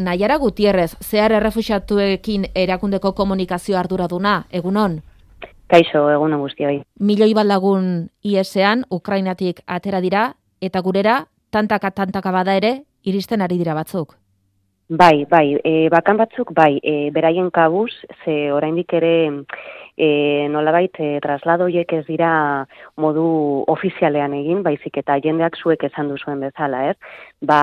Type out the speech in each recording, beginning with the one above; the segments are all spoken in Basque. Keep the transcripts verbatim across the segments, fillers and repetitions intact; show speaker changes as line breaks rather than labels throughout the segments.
Naiara Gutierrez, zehar errefuxiatuekin erakundeko komunikazio arduraduna, egunon?
Kaixo, egunon guztioi.
Milioi bat lagun iesean, Ukrainatik atera dira, eta gurera, tantaka-tantaka bada ere, iristen ari dira batzuk.
Bai, bai, e, bakan batzuk, bai, e, beraien kabuz, ze oraindik ere e, nolabait e, trasladoiek ez dira modu ofizialean egin, baizik eta jendeak zuek esan duzuen bezala, ez? Ba,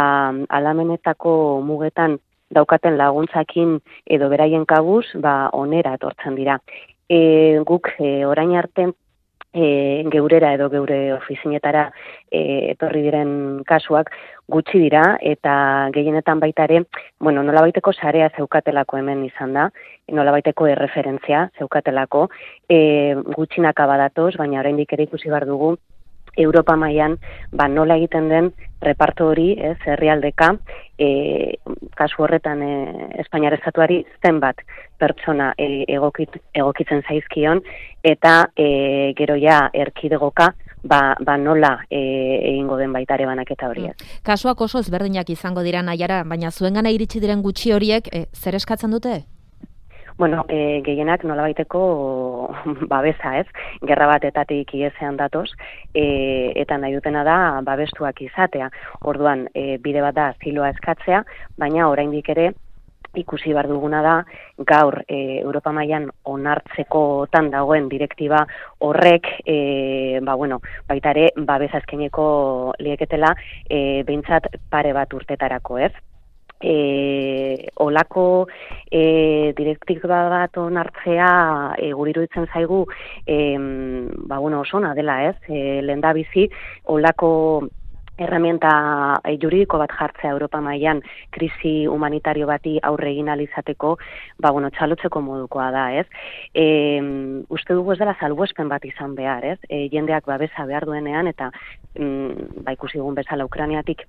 alamenetako mugetan daukaten laguntzakin edo beraien kabuz, ba, onera etortzen dira. E, guk e, orain arte e, geurera edo geure ofizinetara e, etorri diren kasuak gutxi dira eta gehienetan baita ere, bueno, nolabaiteko sarea zeukatelako hemen izan da, nolabaiteko erreferentzia zeukatelako, e, gutxinaka badatoz, baina oraindik ere ikusi behar dugu Europa mailan ba nola egiten den reparto hori, ez, herrialdeka, e, kasu horretan e, Espainiar estatuari zenbat pertsona e, egokit, egokitzen zaizkion eta e, gero ja erkidegoka ba, ba nola e, egingo den baitare banaketa hori.
Mm. Kasuak oso ezberdinak izango dira Naiara, baina zuengana iritsi diren gutxi horiek e, zer eskatzen dute?
Bueno, e, gehienak nolabaiteko babesa, ez? Gerra batetatik iesean datoz, e, eta nahi dutena da babestuak izatea. Orduan, e, bide bat da asiloa eskatzea, baina oraindik ere ikusi behar duguna da gaur e, Europa mailan onartzekotan dagoen direktiba horrek e, ba, bueno, baita ere babesa eskaineko lieketela e, behintzat pare bat urtetarako, ez? E, olako e, direktiba bat onartzea e, guri iruditzen zaigu e, ba, bueno, osona dela, ez? E, lehendabizi olako herramienta e, juridiko bat jartzea Europa mailan krisi humanitario bati aurre egin ahal izateko, ba, bueno, txalotzeko modukoa da, ez? E, uste dugu ez dela salbuespen bat izan behar, ez? E, jendeak babesa behar duenean eta mm, ba, ikusi dugun bezala Ukrainiatik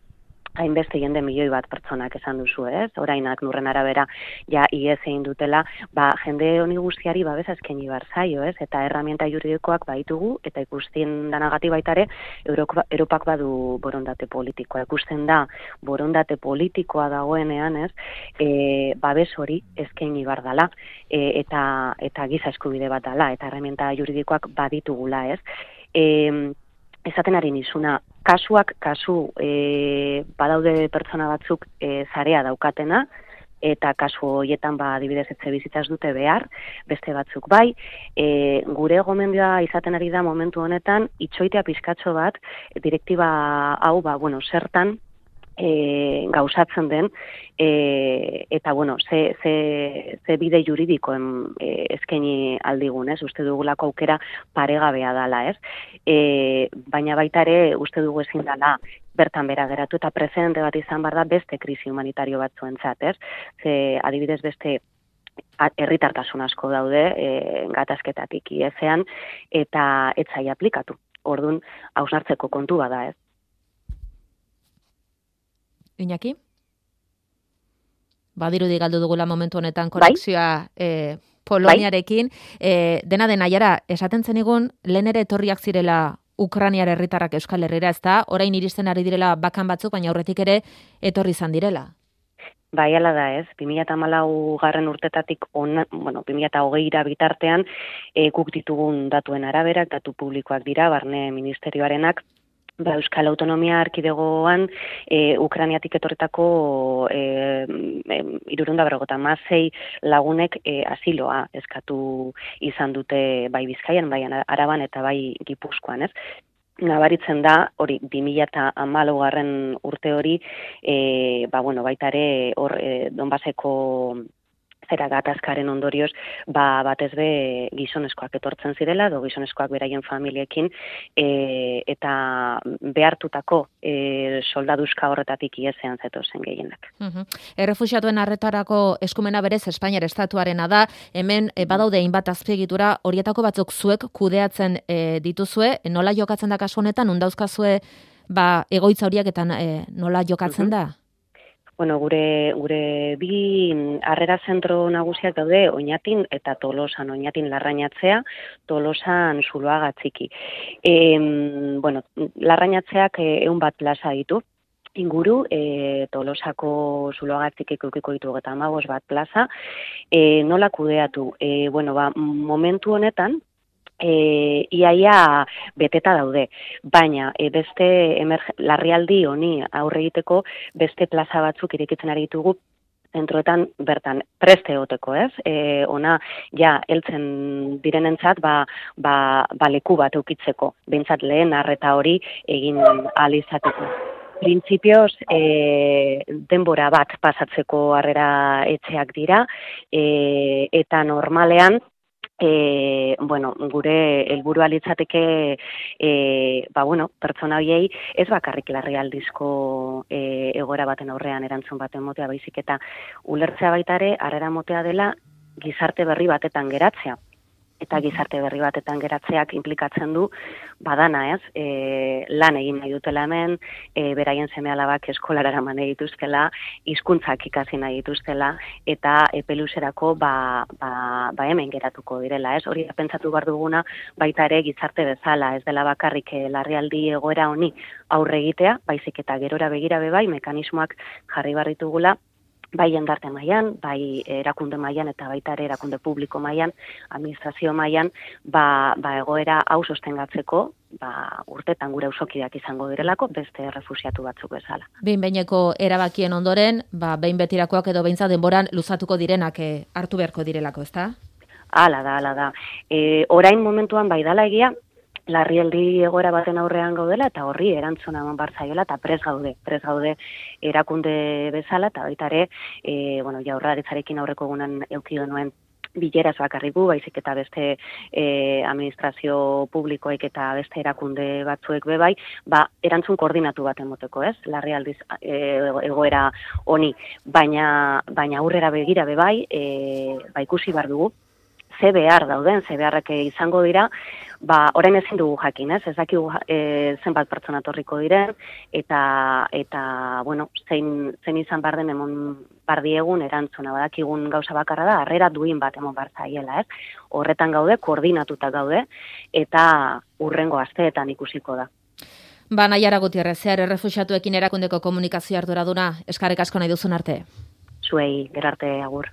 hainbeste jende milioi bat pertsonak esan duzu, ez? Orainak nurren arabera ja ies egin dutela, ba, jende honi guztiari babesa eskaini behar zaio, ez? Eta herramienta juridikoak baitugu, eta ikusten danagatik baita ere, Europak badu borondate politikoa. Ikusten da, borondate politikoa dagoenean, ez? E, babes hori eskaini behar dela, e, eta, eta giza eskubide bat dela, eta herramienta juridikoak baditugula, ez? E, esaten ari nizuna, kasuak, kasu, e, badaude pertsona batzuk e, zarea daukatena, eta kasu horietan ba adibidez etxe bizitzaz dute behar, beste batzuk bai, e, gure gomendioa izaten ari da momentu honetan, itxoitea pizkatxo bat, direktiba hau, ba, bueno, zertan, E, gauzatzen den, e, eta bueno, ze, ze, ze bide juridikoen e, eskaini aldigun, ez? Uste dugulako aukera paregabea dala, ez? E, baina baita ere, uste dugu ezin dela bertan bera geratu, eta prezidente bat izan behar da beste krisi humanitario batzuentzat, ez? Ze adibidez beste herritartasun asko daude, e, gatazketatik iesean, eta etzai aplikatu. Orduan, hausnartzeko kontu bada, ez?
Iñaki? Badirudi galdu dugula momentu honetan konexioa bai? e, Poloniarekin. E, dena den Naiara, esaten zenigun, lehen ere etorriak zirela Ukrainiar herritarrak Euskal Herrira, ez da? Orain iristen ari direla bakan batzuk, baina aurretik ere etorri izan direla.
Bai, ala da, ez. bi mila hamalau garren urtetatik, on, bueno, bi mila hogeira bitartean, e, guk ditugun datuen araberak, datu publikoak dira, barne ministerioarenak, ba, Euskal Autonomia Erkidegoan e, Ukrainiatik etorretako e, e, hirurehun eta berrogeita hamasei lagunek e, asiloa eskatu izan dute bai Bizkaian, bai Araban eta bai Gipuzkoan, ez? Nabaritzen da, hori, bi mila hamalau garren urte hori, e, ba, bueno, baita ere, hor, e, Donbaseko zera gatazkaren ondorioz, ba, batez be gizonezkoak etortzen zirela, edo gizonezkoak beraien familiekin, e, eta behartutako e, soldaduzka horretatik iesean zetozen gehienak.
Uh-huh. Errefuxiatuen arretarako eskumena berez Espainiar estatuarena da, hemen e, badaude hainbat azpiegitura, horietako batzuk zuek kudeatzen e, dituzue, nola jokatzen da kasu honetan, undauzkazue ba, egoitza horiek eta e, nola jokatzen uh-huh. da?
Bueno, gure, gure bi harrera zentro nagusiak daude Oñatin eta Tolosan, Oñatin Larrañatzea, Tolosan Zuloaga Txiki. E, bueno, Larrañatzeak ehun bat plaza ditu, inguru, e, Tolosako Zuloagatzik edukiko ditu eta hamabost bat plaza, e, nola kudeatu? E, bueno, ba, momentu honetan, E, iaia beteta daude, baina e, beste emerg- larrialdi honi aurre egiteko beste plaza batzuk irekitzen ari ditugu zentroetan bertan preste egoteko, ez? E, ona ja heltzen direnentzat ba, ba, ba leku bat eukitzeko, behintzat lehen arreta hori egin ahal izateko. Printzipioz, e, denbora bat pasatzeko harrera etxeak dira, e, eta normalean E, bueno, gure helburua litzateke e, ba, bueno, pertsona horiei ez bakarrik larrialdizko e, egoera baten aurrean erantzun baten motea baizik eta ulertzea baita ere harrera motea dela gizarte berri batetan geratzea. Eta gizarte berri batetan geratzeak implikatzen du badana, ez? E, lan egin nahi dutela hemen, e, beraien seme-alabak eskolara eraman nahi dituztela, hizkuntzak ikasi nahi dituztela, eta epeluzerako ba, ba, ba hemen geratuko direla, ez? Hori pentsatu behar duguna baita ere gizarte bezala, ez dela bakarrik larrialdi egoera honi aurre egitea, baizik eta gerora begira bebai, mekanismoak jarri behar ditugula, bai jendarte mailan, bai erakunde mailan eta baita ere erakunde publiko mailan, administrazio mailan, ba, ba egoera hau sostengatzeko, ba urtetan gure auzokideak izango direlako beste errefuxiatu batzuk bezala.
Behin behineko erabakien ondoren, ba behin betirakoak edo beintza denboran luzatuko direnak eh, hartu beharko direlako, ezta?
Hala da, hala da. E, orain momentuan bai dala egia, larrialdi egoera baten aurrean gaudela eta horri erantzuna eman behar zaiola eta prest gaude, prest gaude erakunde bezala eta baita ere, e, bueno, Jaurlaritzarekin aurreko egunan eduki genuen bileraz bakarrik gu, baizik eta beste e, administrazio publikoek eta beste erakunde batzuek bebai, ba, erantzun koordinatu bat emoteko, ez? Larrialdiz e, egoera honi, baina, baina aurrera begira bebai, e, ba, ikusi behar dugu, ze behar dauden, ze beharrak izango dira, ba, orain ezin dugu jakin, ez? Ez dakigu e, zenbat pertsona torriko diren, eta, eta bueno, zein, zein izan behar den emon bar diegun erantzuna, badakigun gauza bakarra da, harrera duin bat emon behar zaiela, ez? Horretan gaude, koordinatuta gaude, eta urrengo asteetan ikusiko da.
Ba, Naiara Gutierrez, zehar errefuxiatuekin erakundeko komunikazio arduraduna, eskarrik asko nahi duzun arte.
Zuei, gerarte agur.